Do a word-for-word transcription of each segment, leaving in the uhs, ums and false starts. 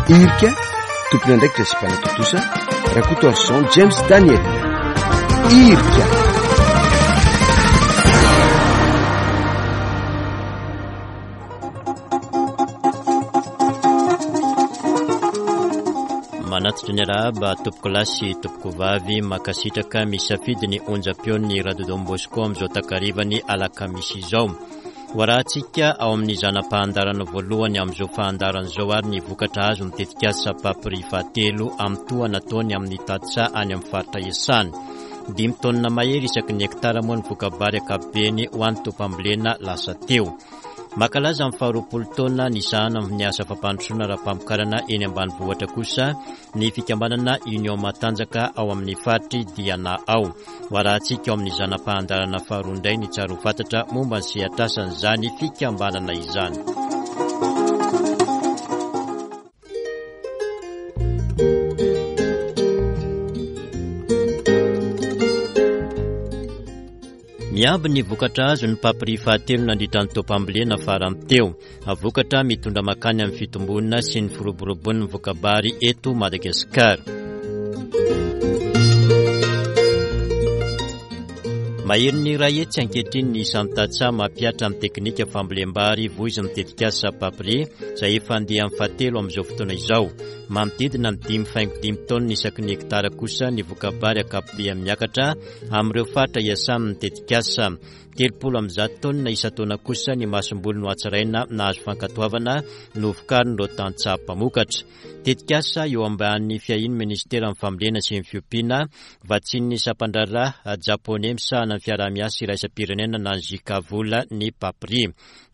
Irika, tompon'andraikitra sy mpanatontosa Rakotoarison James Daniel. Irika. Manatitra ny arahaba tompokolahy sy tompokovavy, mankasitraka misafidy ny onjam-peon'ny Radio Don Bosco amin'izao takarivany alakamisy izao. Ho arahantsika ao amin'ny zana-pahandarana voalohany amin'izao fahandarana izao ary ny vokatra azo ny tetikasa PAPRI fahatelo amin'ny tohana ataony amin'ny tantsaha any amin'ny faritra Iasany. Dimy taonina mahery isaky ny hektara moa ny voka-bary ankapobeny ho an'ny tompam-bolena lasa teo. Mankalaza amin'ny faharoapolo taona ny sahana amin'ny asa fampandrosoana ara-pamokarana eny ambanivohitra kosa ny fikambanana Union Matanjaka ao amin'ny faritry Diana ao. Ho arahantsika ao amin'ny zana-pahandarana faharoa indray ny tsara ho fantatra momba ny sehatrasan'izany fikambanana izany. Miamby ny vokatra azo ny PAPRI fahatelo nandritra ny taom-pambolena farany teo. Vokatra mitondra makany amin'ny fitombona sy ny firoborobon'ny voka-bary eto Madagasikara. Maherin'ny iray hetsy ankehitriny ny isan'ny tantsaha mampihatra ny teknika fambolem-bary voizin'ny tetikasa PAPRI izay efa andeha amin'ny fahatelo amin'izao fotoana izao. Manodidina ny dimy faingo dimy taonina isaky ny hektara kosa ny voka-bary ankapobeny miakatra amin'ireo faritra iasan'ny tetikasa. Telopolo amby zato taonina isan-taona kosa ny masomboly nohatsaraina nahazo fankatoavana novokarin'ireo tantsaha mpamokatra. Tetikasa eo ambanin'ny fiahian'ny ministeran'ny fambolena sy ny fiompiana, vatsian'ny sampan-draharaha japoney misahana ny fiaraha-miasa iraisam-pirenena na ny JICA vola ny PAPRI.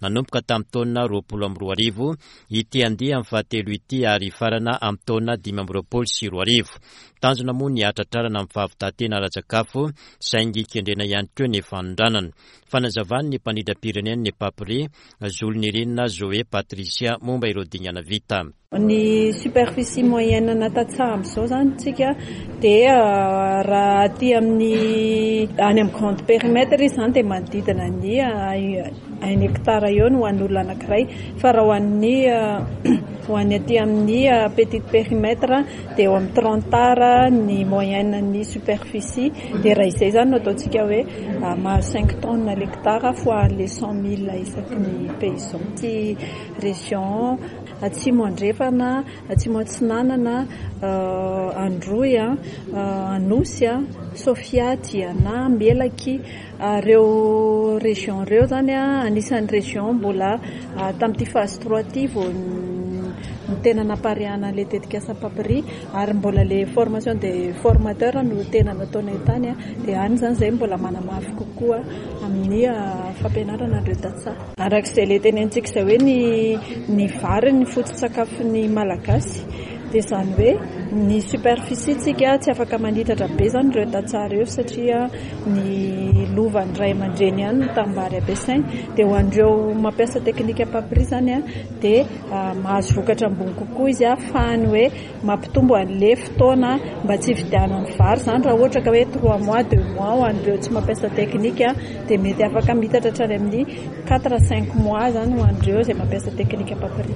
Nanomboka tamin'ny taona roapolo amby roa arivo ity andiany fahatelo ity ary hifarana amin'ny taona dimy amby roapolo sy roa arivo. Tanjona moa ny hatratrarana amin'ny fahavitantena ara-tsakafo saingy kendrena ihany koa ny fanondranana. Fanazavan'ny mpandrindram-pirenena ny PAPRI, Zolonirina Zoé Patricia momba ireo dingana vita. Ny superficie moyenne na tantsaha amin'izao zany tsika dia raha aty amin'ny any amin'ny grand périmètre izy zany dia manodidina ny un hectare eo no ho an'ny olona anankiray, fa raha ho an'ny ho an'ny aty amin'ny petit périmètre dia eo amin'ny trente ara ny moyenne ny superficie. Dia raha izay zany no ataontsika hoe mahazo cinq tonnes l'hectare fois les cent mille isaky ny paysan. Ty région Atsimo Andrefana, Atsimo Atsinanana, Androy, Anosy, Sofia, Diana, Melaky, ireo région ireo zany anisan'ny région mbola tamin'ity phase trois ity vao ny tena nampariahana an'ilay tetikasa PAPRI ary mbola le formation des formateurs no tena nataonay tany, dia any zany izay mbola manamafy kokoa amin'ny fampianarana an'ireo tantsaha. Arak'izay le tenentsika izay hoe ny ny vary ny foto-tsakafon'ny Malagasy dia izany hoe ny superficie tsika tsy afaka manitatra be zany ireo tantsaha ireo satria ny lovan'ny ray aman-dreny ihany no tanimbary ampiasainy. Dia ho an'ireo mampiasa teknika PAPRI zany dia mahazo vokatra ambony kokoa izy ahafahany hoe mampitombo an'ilay fotoana mba tsy hividianany vary zany. Raha ohatra ka hoe trois mois, deux mois ho an'ireo tsy mampiasa teknika dia mety afaka mitatra hatrany amin'ny quatre à cinq mois zany ho an'ireo izay mampiasa teknika PAPRI.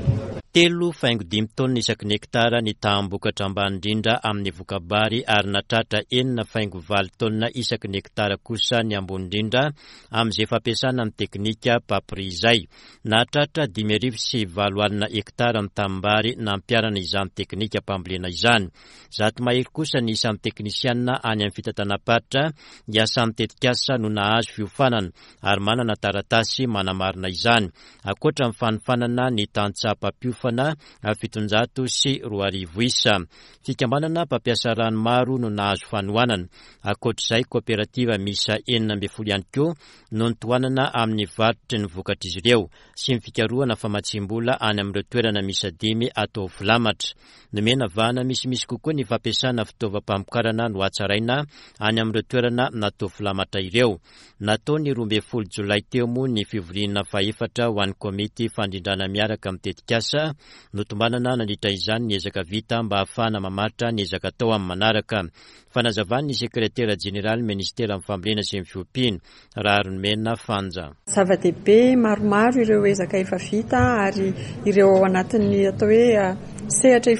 Telo faingo dimy taonina isaky ny hektara ny taham-bokatra ambany indrindra amin'ny voka-bary ary nahatratra enina faingo valo taonina isaky ny hektara kosa ny ambony indrindra amin'izay fampiasana ny teknika PAPRI izay. Nahatratra dimy arivo sy valo alina hektara ny tanimbary nampiharana izany teknika mpambolena izany. Zato mahery kosa ny isan'ny teknisianina any amin'ny fitantanam-paritra iasan'ny tetikasa no nahazo fiofanana ary manana taratasy manamarina izany. Ankoatra ny fanofanana ny tantsaha mpampiofana fitonjato sy roa arivo isa. Fikambanana mpampiasa rano maro no nahazo fanohanana. Ankoatr'izay, kooperativa miisa enina ambin'ny folo ihany koa no nitohanana amin'ny varotry ny vokatr'izy ireo sy ny fikarohana famatsiam-bola any amin'ireo toerana miisa dimy atao filamatra. Nomena vahana misimisy kokoa ny fampiasana fitaovam-pamokarana no hatsaraina any amin'ireo toerana natao filamatra ireo. Natao ny roa ambin'ny folo jolay teo moa ny fivoriana fahefatra ho an'ny komity fandrindrana miaraka amin'ny tetikasa. Notombanana nandritra izany ny ezaka vita mba ahafahana mamaritra ny ezaka atao amin'ny manaraka. Fanazavan'ny sekretera jeneraly ministeran'ny fambolena sy ny fiompiana, Raharimena Fanja. Zava-dehibe maromaro ireo ezaka efa vita ary ireo ao anatin'ny atao hoe Sehatra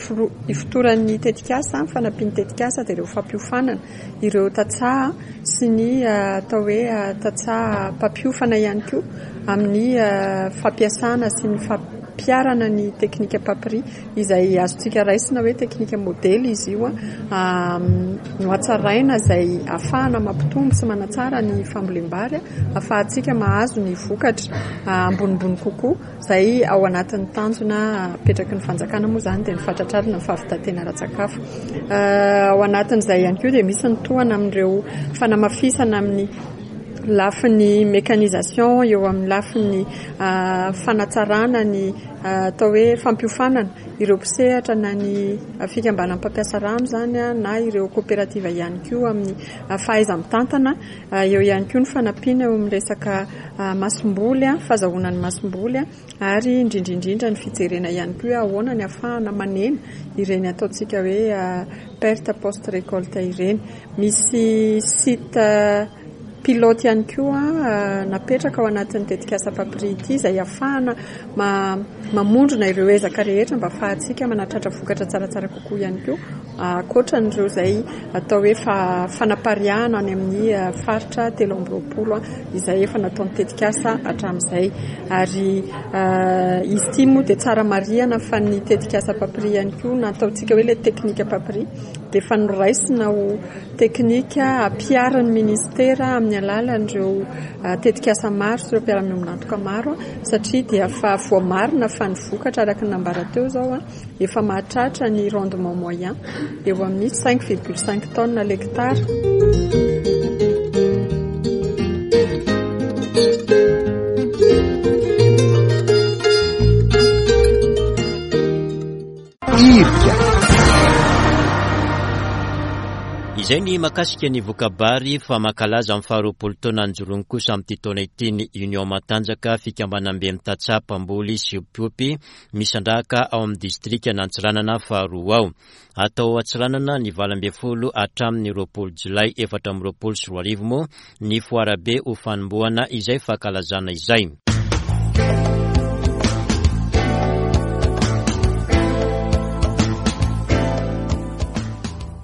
ifotoran'ny tetikasa, fanampian'ny tetikasa dia ireo fampiofanana ireo tantsaha sy ny atao hoe tantsaha mpampiofana ihany koa amin'ny fampiasana sy ny fampiharana ny teknika PAPRI izay azontsika raisina hoe teknika modely izy io no hatsaraina izay ahafahana mampitombo sy manatsara ny fambolem-bary, ahafahantsika mahazo ny vokatra ambonimbony kokoa izay ao anatin'ny tanjona apetraky ny fanjakana moa izany dia ny fahatratrarana ny fahavitan-tena ara-tsakafo. Ao anatin'izay ihany koa dia misy ny tohana amin'ireo fanamafisana amin'ny lafiny mécanisation, eo amin'ny lafiny fanatsarana ny atao hoe fampiofanana ireo mpisehatra na ny fikambanan'ny mpampiasa rano izany na ireo coopérative ihany koa amin'ny fahaiza-mitantana. Eo ihany koa ny fanampiana eo amin'ny resaka masomboly, fahazahoana ny masomboly ary indrindra indrindra ny fijerena ihany koa hoe ahoana ny ahafahana manena ireny ataontsika hoe perte post récolte ireny. Misy site pilote ihany koa napetraka ao anatin'ny tetikasa PAPRI ity izay ahafahana mamondrona ireo ezaka rehetra mba ahafahantsika manatratra vokatra tsaratsara kokoa ihany koa ankoatran'ireo izay atao hoe fanapariahana any amin'ny faritra telo amby roapolo izay efa nataon'ny tetikasa hatramin'izay. Ary izy ity moa dia tsara marihana fa ny tetikasa PAPRI ihany koa na ataontsika hoe ilay teknika PAPRI dia efa noraisina ho teknika ampiharin'ny ministera amin'ny alalan'ireo tetikasa maro sy ireo mpiara-miombon'antoka maro satria dia efa voamarina fa ny vokatra araka ny nambara teo izao efa mahatratra ny rendement moyen eo amin'ny cinq virgule cinq tonnes l'hectare. Irika. Izay ny mahakasika ny voka-bary fa mankalaza amin'ny faharoapolo taona nijoroany kosa amin'ity taona ity ny Union Matanjaka, fikambanam-be mitantsaha mpamboly sy mpiompy misandrahaka ao amin'ny distrikan'Antsiranana faharoa ao. Atao Antsiranana ny valo ambin'ny folo hatramin'ny roapolo jolay efatra amby roapolo sy roa arivo moa ny foarabe ho fanombohana izay fankalazana izay.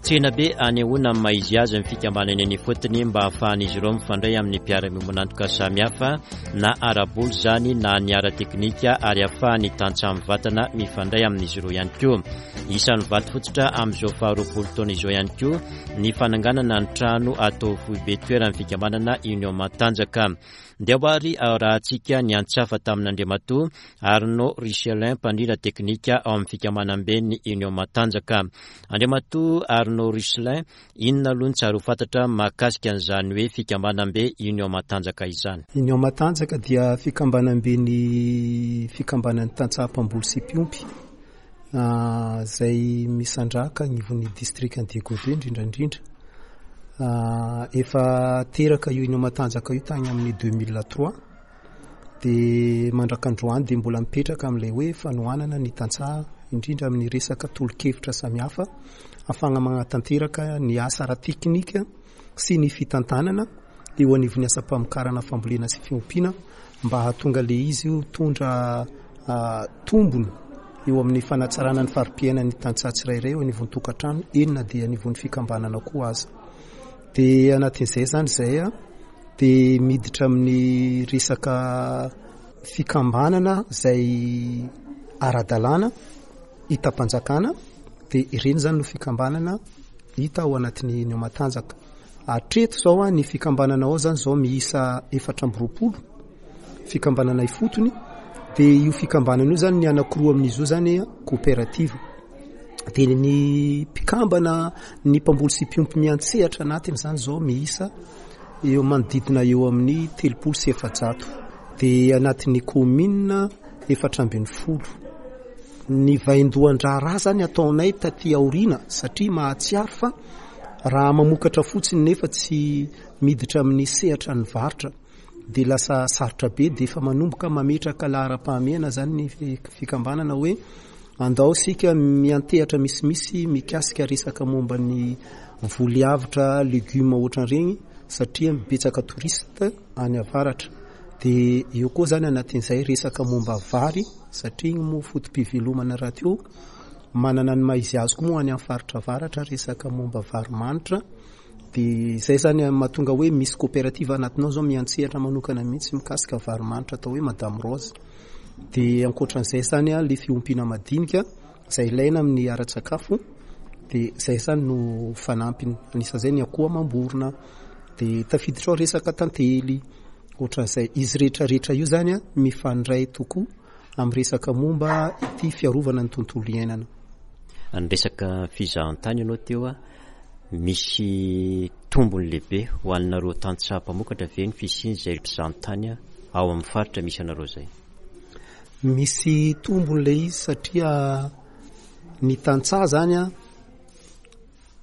Tsena be anehoana amin'ny maha izy azy ny fikambanana eny ifotony mba ahafahan'izy ireo mifandray amin'ny mpiara-miombon'antoka samihafa na ara-bola izany na ny ara-teknika ary ahafahany tantsaha mivantana mifandray amin'izy ireo ihany koa. Isan'ny vato fototra amin'izao faharoapolo taona izao ihany koa ny fananganana ny trano atao foibe toeran'ny fikambanana Union Matanjaka. Ndeha ary arahantsika ny antsafa tamin'Andriamatoa Arnaud Richelin, mpandrindra teknika ao amin'ny fikambanam-ben'ny Union Matanjaka. Andriamatoa Arnaud Richelin, inona aloha ny tsara ho fantatra mahakasika an'izany hoe fikambanam-be Union Matanjaka izany? Union Matanjaka dia fikambanam-ben'ny fikambanan'ny tantsaha mpamboly sy mpiompy izay misandrahaka anivon'ny distrikan'i Diego Be indrindra indrindra. Efa teraka io Union Matanjaka io tany amin'ny deux mille trois dia mandrak'androany dia mbola mipetraka amin'ilay hoe fanohanana ny tantsaha indrindra amin'ny resaka tolo-kevitra samihafa ahafahana manatanteraka ny asa ara-teknika sy ny fitantanana eo anivon'ny asam-pamokarana fambolena sy fiompiana mba hahatonga le izy ho tondra tombony eo amin'ny fanatsarana ny fari-piainan'ny tantsaha tsirairay eo anivon'ny tokantrano eny na dia anivon'ny fikambanana koa aza. Dia anatin'izay izany izay a dia miditra amin'ny resaka fikambanana izay ara-dalàna hitam-panjakana dia ireny izany no fikambanana hita ao anatin'ny Union Matanjaka. Hatreto izao a ny fikambanana ao izany izao miisa efatra amby roapolo fikambanana ifotony dia io fikambanana io izany ny anankiroa amin'izy io izany coopérative. Dia ny mpikambana ny mpamboly sy mpiompy miantsehatra anatiny izany izao miisa eo manodidina eo amin'ny telopolo sy efajato. Dia anatin'ny commune efatra ambin'ny folo. Ny vaindohan-draharaha izany ataonay taty aoriana satria mahatsiaro fa raha mamokatra fotsiny nefa tsy miditra amin'ny sehatra ny varotra dia lasa sarotra be dia efa manomboka mametraka laharam-pahamehana izany ny fikambanana hoe andao isika miantehatra misimisy mikasika resaka momba ny voly avotra legioma ohatran'ireny satria betsaka touriste any avaratra. Dia eo koa izany anatin'izay resaka momba vary satria iny moa foto-pivelomana rahateo Manana ny maha izy azy koa moa any amin'ny faritra avaratra resaka momba vary manitra. Dia izay zany mahatonga hoe misy coopérative anatinao zao miantsehatra manokana mihitsy mikasika vary manitra atao hoe Madame Rose. Dia ankoatran'izay zany a le fiompiana madinika izay ilaina amin'ny ara-tsakafo, dia izay zany no fanampiny. Anisan'izay ny akoho amam-borona, dia tafiditra ao resaka tantely, ohatran'izay. Izy rehetrarehetra io zany a mifandray tokoa amin'ny resaka momba ity fiarovana ny tontolo iainana. Ny resaka fizahantany ianao teo a, misy tombony lehibe ho anareo tantsaha mpamokatra ve ny fisian'izay mpizahantany ao amin'ny faritra misy anareo izay? Misy tombony ilay izy satria ny tantsaha zany a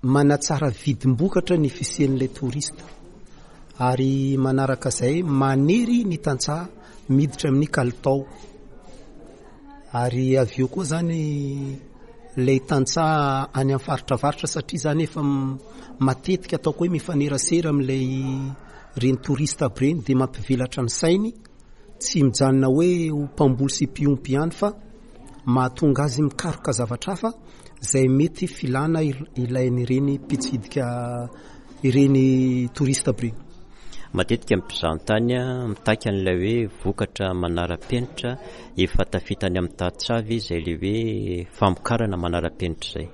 manatsara vidim-bokatra ny fisian'ilay touriste, ary manaraka izay manery ny tantsaha miditra amin'ny kalitao. Ary avy eo koa zany ilay tantsaha any amin'ny faritra avaratra, satria zany efa matetika ataoko hoe mifanerasera amin'ilay reny touriste aby ireny, dia mampivelatra ny sainy, tsy mijanona hoe ho mpamboly sy mpiompy ihany fa mahatonga azy mikaroka zavatra hafa izay mety filana ilain'ireny mpitsidika ireny touriste aby ireny. Matetika ny mpizahantany mitaky an'ilay hoe vokatra manara-penitra efa tafita any amin'ny tantsaha ve izay ilay hoe famokarana manara-penitra izay?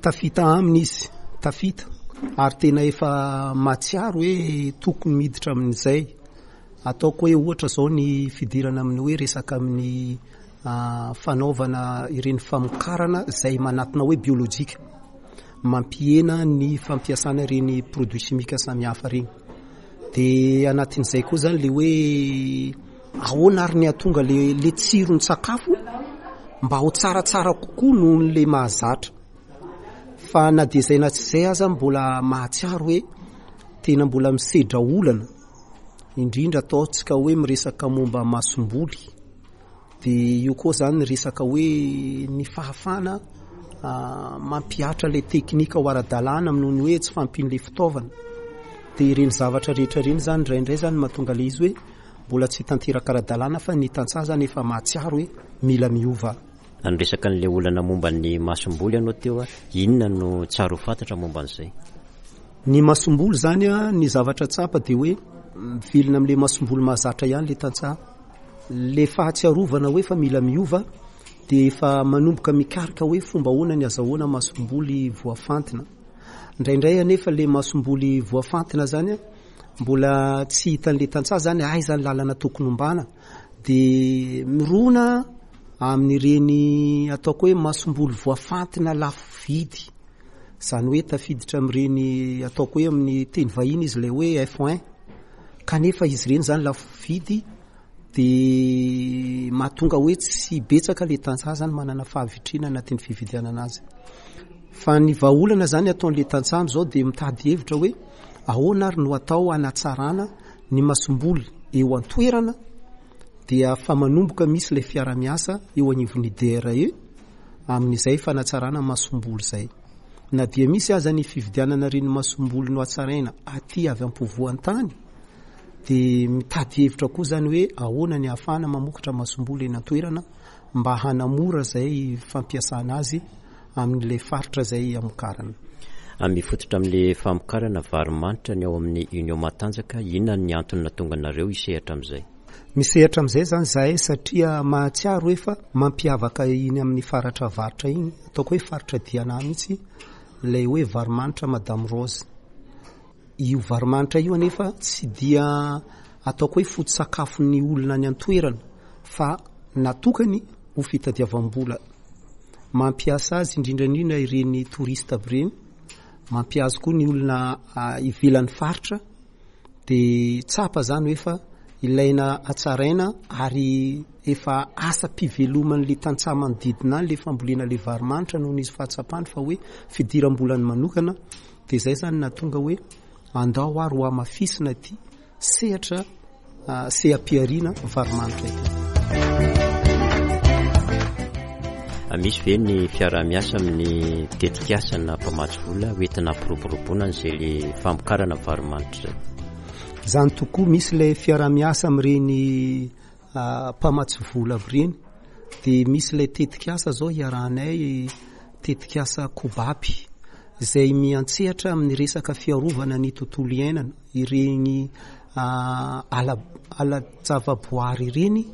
Tafita aminy izy, tafita, ary tena efa mahatsiaro hoe tokony miditra amin'izay. Ataoko hoe ohatra zao ny fidirana amin'ny hoe resaka amin'ny fanaovana ireny famokarana izay manatona hoe biolojika, mampihena ny fampiasana ireny produits chimiques samihafa ireny. Dia anatin'izay koa zany le hoe ahoana ary ny hahatonga le, le tsiron-tsakafo mba ho tsaratsara kokoa noho le mahazatra. Fa na dia izay na tsy izay aza mbola mahatsiaro hoe tena mbola misedra olana, indrindra ataontsika hoe miresaka momba masomboly. Dia io koa zany resaka hoe ny fahafahana mampihatra ilay teknika ho ara-dalàna noho ny hoe tsy fahampian'ilay fitaovana. Dia ireny zavatra rehetra ireny zany indraindray zany mahatonga ilay izy hoe mbola tsy tanteraka ara-dalàna, fa ny tantsaha zany efa mahatsiaro hoe mila miova. Niresaka an'ilay olana momba ny masomboly ianao teo a, inona no tsara ho fantatra momba an'izay? Ny masomboly zany a, ny zavatra tsapa dia hoe mivelona amin'ilay masomboly mahazatra ihany ilay tantsaha. Le fahatsiarovana hoe fa mila miova dia efa manomboka mikaroka hoe fomba ahoana ny azahoana masomboly voafantina. Indraindray anefa le masomboly voafantina zany a, mbola tsy hitan'ilay tantsaha zany aiza ny lalana tokony hombana, dia mirona amin'ireny ataoko hoe masomboly voafantina lafo vidy. Zany hoe tafiditra amin'ireny ataoko hoe amin'ny teny vahiny izy ilay hoe F un, kanefa izy ireny zany lafo vidy dia mahatonga hoe tsy betsaka ilay tantsaha zany manana fahavitrihana anatin'ny fividianana azy. Fa ny vahaolana zany ataon'ilay tantsaha amin'izao dia mitady hevitra hoe ahoana ary no atao hanatsarana ny masomboly eo an-toerana, dia fa manomboka misy ilay fiara-miasa eo anivon'ny D R E amin'izay fanatsarana masomboly izay. Na dia misy aza ny fividianana ireny masomboly nohatsaraina aty avy ampovoan-tany, dia mitady hevitra koa zany hoe ahoana ny ahafahana mamokatra masomboly eny an-toerana mba hanamora izay fampiasana azy amin'ilay faritra izay amokarana. Mifototra amin'ilay famokarana vary manitra ny ao amin'ny Union Matanjaka, inona ny antony nahatonga anareo hisehatra amin'izay? Misehatra amin'izay zany zahay satria mahatsiaro hoe fa mampiavaka iny amin'ny faritra avaratra iny, ataoko hoe faritra Diana mihitsy, ilay hoe vary manitra Madame Rose. Io vary manitra io anefa tsy dia ataoko hoe foto-tsakafon'ny olona any an-toerana fa natokany ho fitadiavam-bola. Mampiasa azy indrindra indrindra ireny touriste aby ireny, mampiasa koa ny olona ivelan'ny faritra, dia tsapa zany hoe fa ilaina hatsaraina ary efa asa-piveloman'ilay tantsaha manodidina any ilay fambolena ilay vary manitra noho izy fahatsapany fa hoe fidiram-bolany manokana. Dia izay zany nahatonga hoe andao ary ho hamafisina ity sehatra seha-pihariana vary manitra ity. Misy ve ny fiaraha-miasa amin'ny tetikasa na mpamatsy vola hoentina hampiroboroboana an'izay le famokarana vary manitra izay? Zany tokoa, misy ilay fiaraha-miasa amin'ireny mpamatsy vola avy ireny, Dia misy ilay tetikasa izao iarahanay, tetikasa Kobaby, izay miantsehatra amin'ny resaka fiarovana ny tontolo iainana, ireny ala ala-javaboary ireny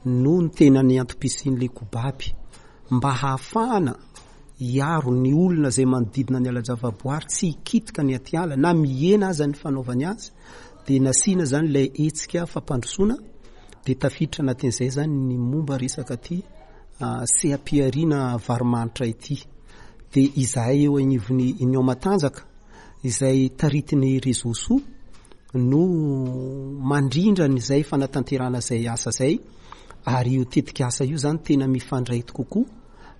no ny tena ny antom-pisian'ilay Kobaby, mba hahafahana hiaro ny olona izay manodidina ny ala-javaboary tsy hikitika ny atiala na mihena aza ny fanaovany azy. Dia nasiana izany ilay hetsika fampandrosoana, dia tafiditra anatin'izay izany ny momba resaka ity seha-pihariana varimanitra ity. Dia izahay eo anivon'ny Union Matanjaka izay taritin'ny Réseau Soa no mandrindra an'izay fanatanterahana izay asa izay, ary io tetikasa io izany tena mifandray kokoa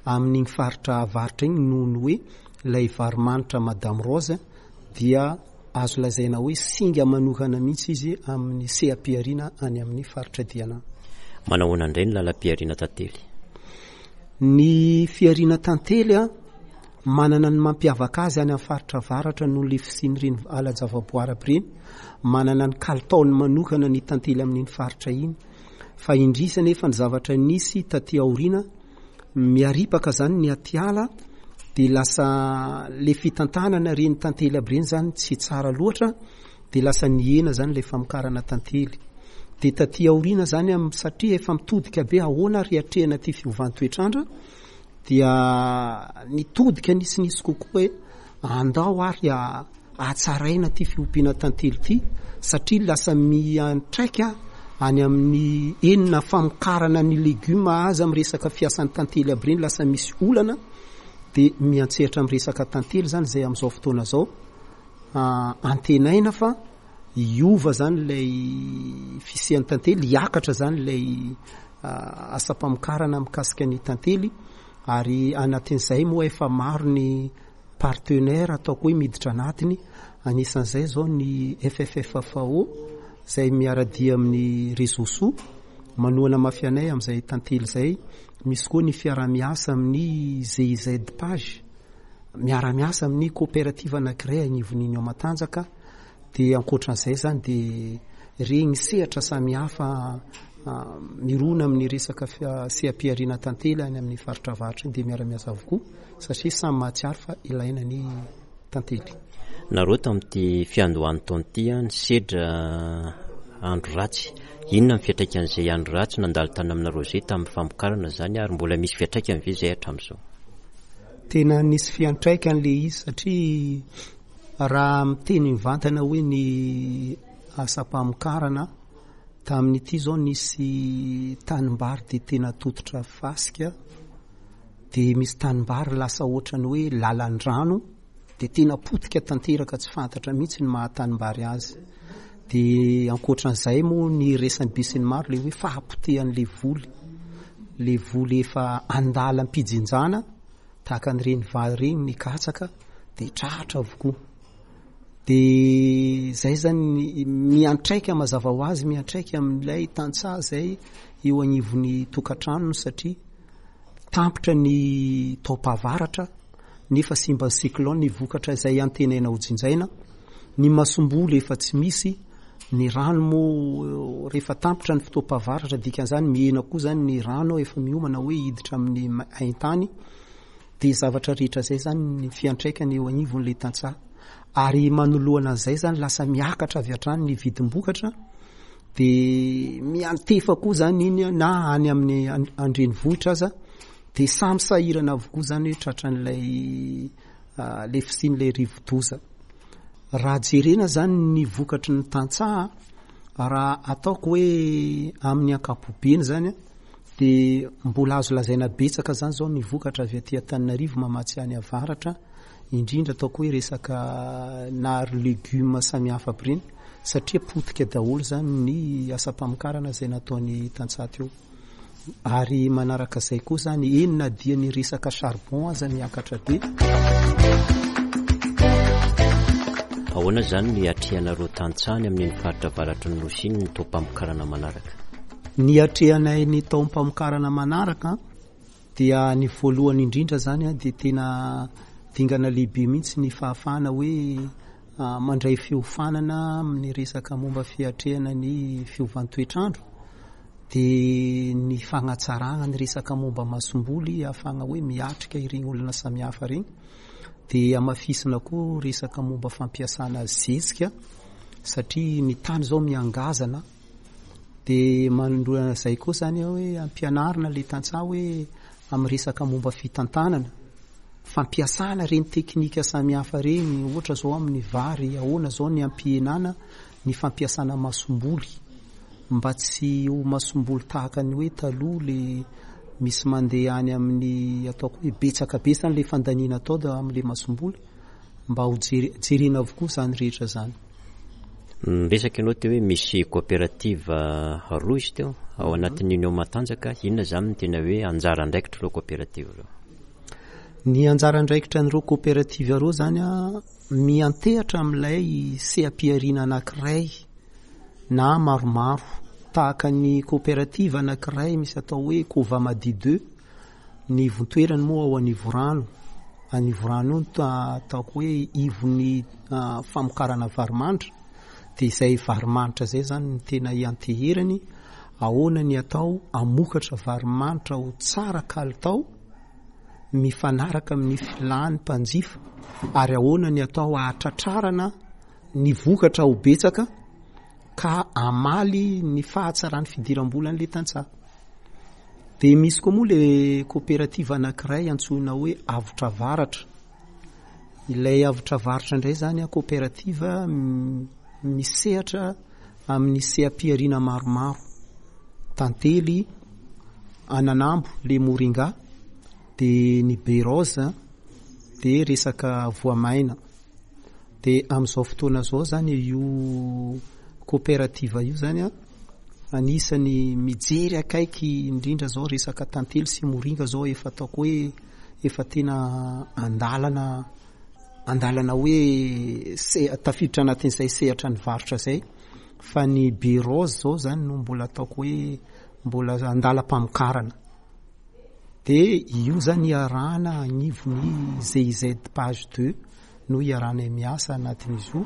amin'iny faritra avaratra iny noho ny hoe ilay varimanitra Madame Rose dia azo lazaina hoe singa manokana mihitsy izy amin'ny seha-pihariana any amin'ny faritra Diana. Manahoana indray ny lalam-pihariana tantely? Ny fihariana tantely a, manana ny mampiavaka azy any amin'ny faritra avaratra noho ilay fisian'ireny ala-javaboary aby ireny, manana ny kalitaony manokana ny tantely amin'iny faritra iny. Fa indrisy anefa ny zavatra nisy taty aoriana, miaripaka zany ny atiala, dia lasa le fitantanana ireny tantely aby ireny zany tsy tsara loatra, dia lasa nihena zany le famokarana tantely. Dia taty aoriana zany am-, satria efa mitodika be ahoana ary hiatrehana ity fiovan-toetrandro, dia nitodika nisinisy kokoa hoe andao ary a-, hatsaraina ity fiompiana tantely ity, satria lasa miantraika any amin'ny enina famokarana ny legioma aza amin'ny resaka fiasan'ny tantely aby ireny, lasa misy olana. Dia miantsehatra amin'ny resaka tantely zany izay amin'izao fotoana izao. Antenaina fa hiova zany ilay fisian'ny tantely, hiakatra zany ilay asam-pamokarana mikasika ny tantely, ary anatin'izay moa efa maro ny partenaire ataoko hoe miditra anatiny, anisan'izay zao ny F F F F O izay miara-dia amin'ny Réseau Soa manohana mafy anay amin'izay tantely izay. Misy koa ny fiaraha-miasa amin'ny G I Z Page, miara-miasa amin'ny coopérative anankiray anivon'ny Union Matanjaka. Dia ankoatran'izay zany dia regny sehatra samihafa mirona amin'ny resaka fia-, seha-pihariana tantely any amin'ny faritra avaratra iny dia miara-miasa avokoa, satria samy mahatsiaro fa ilaina ny tantely. Nareo tamin'ity fiandohan'ny taona ity a, nisedra andro ratsy. Inona ny fiantraikan'izay andro ratsy nandalo tany aminareo izay tamin'ny famokarana izany, ary mbola misy fiantraikany ve izay hatramin'izao? Tena nisy fiantraikany le izy, satria raha miteny mivantana hoe ny asam-pamokarana tamin'ity zao nisy tanimbary dia tena tototra fasika, dia misy tanimbary lasa ohatrany hoe lalan-drano, dia tena potika tanteraka tsy fantatra mihitsy ny maha tanimbary azy. Dia ankoatran'izay moa ny resan'ny be sy ny maro le hoe fahapotehan'le voly, le voly efa andalam-pijinjana tahaka an'ireny vary ireny ny katsaka dia tratra avokoa. Dia zay zany miantraika mazava ho azy, miantraika amin'ilay tantsaha zay eo anivon'ny tokantranony, satria tampitra ny taom-pahavaratra nefa simba ny cyclone ny vokatra izay antenaina ho jinjaina, ny masomboly efa tsy misy, ny rano moa rehefa tampitra ny fotoam-pahavaratra, dikan'izany mihena koa zany ny rano efa miomana hoe hiditra amin'ny ma-, haintany. Dia zavatra rehetra zay zany ny fiantraikany eo anivon'ilay tantsaha, ary manoloana an'izay zany lasa miakatra avy hatrany ny vidim-bokatra, dia miantefa koa zany iny na any amin'ny an-, andrenivohitra aza, dia samy sahirana avokoa zany hoe tratran'ilay, ah, le fisian'ilay rivodoza. Raha jerena zany ny vokatry ny tantsaha, raha ataoko hoe amin'ny ankapobeny zany, dia mbola azo lazaina betsaka zany zao ny vokatra avy aty Antananarivo mamatsy any avaratra, indrindra ataoko hoe resaka na ry legioma samihafa aby ireny, satria potika daholo zany ny asam-pamokarana izay nataony tantsaha teo. Ary manaraka izay koa zany, eny na dia ny resaka charbon aza miakatra be. Ahoana zany ny atrehanareo tantsaha any amin'iny faritra avaratry ny Nosy iny ny taom-pamokarana manaraka? Ny atrehanay ny taom-pamokarana manaraka dia ny voalohany indrindra zany a, dia tena dingana lehibe mihitsy ny fahafahana hoe, ah, mandray fiofanana amin'ny resaka momba fiatrehana ny fiovan-toetrandro. Dia ny fagnatsarana ny resaka momba masomboly ahafahana hoe miatrika ireny olona samihafa ireny. Dia hamafisina koa resaka momba fampiasana zezika satria ny tany izao miangazana. Dia manoloana izay koa izany hoe ampianarina ilay tantsaha hoe amin'ny resaka momba fitantanana, fampiasana ireny teknika samihafa ireny, ohatra izao amin'ny vary, ahoana izao ny ampihenana ny fampiasana masomboly mba tsy ho masomboly tahaka ny hoe taloha le misy mandeha any amin'ny ataoko hoe betsaka be izany le fandaniana atao da amin'le masomboly, mba ho jere-, jerena avokoa izany rehetra izany. Niresaka ianao teo hoe misy coopérative roa izy teo ao anatin'ny Union Matanjaka. Inona izany no tena hoe anjara andraikitr'ireo coopérative ireo? Ny anjara andraikitra an'ireo coopérative ireo izany a, miantehatra amin'ilay seha-pihariana anankiray na maromaro, tahaka ny coopérative anankiray misy atao hoe Covamadi deux, ny ivontoerany moa ao Anivorano. Anivorano io no ataoko hoe ivon'ny, ah, famokarana varimanitra. Dia izay varimanitra izay izany no tena ianteherany, ahoana ny atao hamokatra varimanitra ho tsara kalitao mifanaraka amin'ny filan'ny mpanjifa, ary ahoana ny atao hahatratrarana ny vokatra ho betsaka ka hamaly ny fahatsaran'ny fidiram-bolan'ilay tantsaha. Dia misy koa moa le coopérative anankiray antsoina hoe Avotra Varatra. Ilay Avotra Varatra indray izany a, coopérative misehatra amin'ny seha-pihariana maromaro, tantely, ananambo, le moringa, dia ny baie rose, dia resaka voamaina. Dia amin'izao fotoana izao izany io coopérative io izany a, anisany mijery akaiky indrindra izao resaka tantely sy moringa izao efa ataoko hoe efa tena andalana, andalana hoe se-, tafiditra anatin'izay sehatra ny varotra izay. Fa ny baie rose izao izany no mbola ataoko hoe mbola andalam-pamokarana. Dia io izany iarahana agnivon'ny G I Z page deux no iarahanay miasa anatin'izy io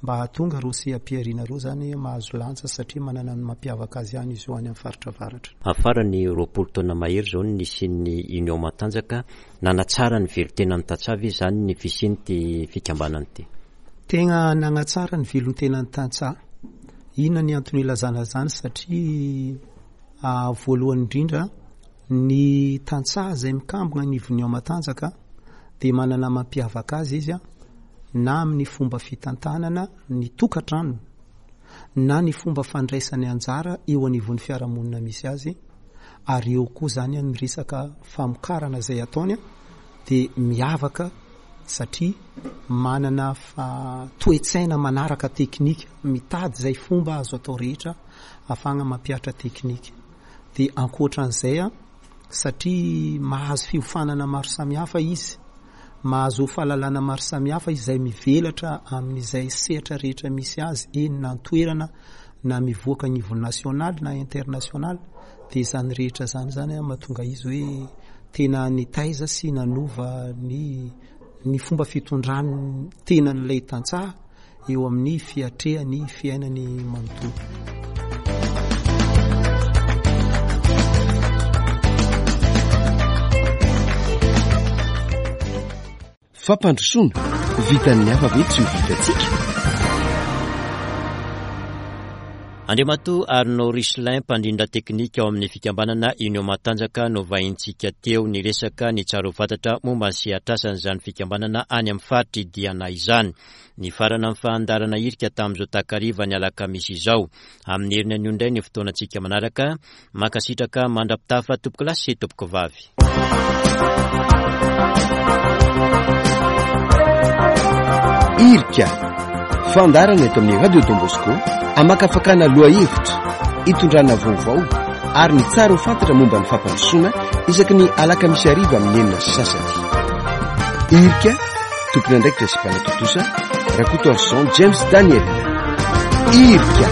mba hahatonga ireo seha-pihariana ireo izany mahazo lanja satria manana ny mampiavaka azy ihany izy io any amin'ny faritra avaratra. Afarany roapolo taona mahery izao ny nisian'ny Union Matanjaka, nanatsara ny velontenan'ny tantsaha ve izany ny fisian'ity fikambanana ity? Tegna nanatsara ny velontenan'ny tantsaha. Inona ny antony ilazana izany? Satria, ah, voalohany indrindra ny tantsaha izay mikambona ny Union Matanjaka dia manana mampiavaka azy izy a, na amin'ny fomba fitantanana ny tokantrano na ny fomba fandraisany anjara eo anivon'ny fiarahamonina misy azy, ary eo koa izany ny resaka famokarana izay ataony a, dia miavaka satria manana fa-, toe-tsaina manaraka teknika, mitady izay fomba azo atao rehetra ahafahana mampihatra teknika. Dia ankoatran'izay a, satria mahazo fiofanana maro samihafa izy, mahazo fahalalana maro samihafa izay mivelatra amin'izay sehatra rehetra misy azy, eny na an-toerana na mivoaka niveau national na international, dia izany rehetra izany izany a, mahatonga izy hoe tena nitaiza sy nanova ny, ny fomba fitondrany tenan'ilay tantsaha eo amin'ny fiatrehany fiainany manontolo. Fampandrosoana, vitan'ny hafa ve tsy ho vitantsika? Andriamatoa Arnaud Richelin, mpandrindra teknika ao amin'ny fikambanana Union Matanjaka, no vahintsika teo niresaka ny tsara ho fantatra momba ny sehatrasan'izany fikambanana any amin'ny faritry Diana izany. Nifarana ny fandaharana hirika tamin'izao takariva ny alakamisy izao. Amin'ny heriny anio indray ny fotoanantsika manaraka. Mankasitraka mandra-pitafa tompoko lahy sy tompoko vavy. Hirika, fandaharana eto amin'ny Radio Don Bosco, amakafakana lohahevitra, itondrana vaovao ary ny tsara ho fantatra momba ny fampandrosoana isaky ny alakamisy hariva amin'ny enina sy sasany. Hirika, tompon'andraikitra sy mpanatontosa, Rakotoarison James Daniel. Hirika.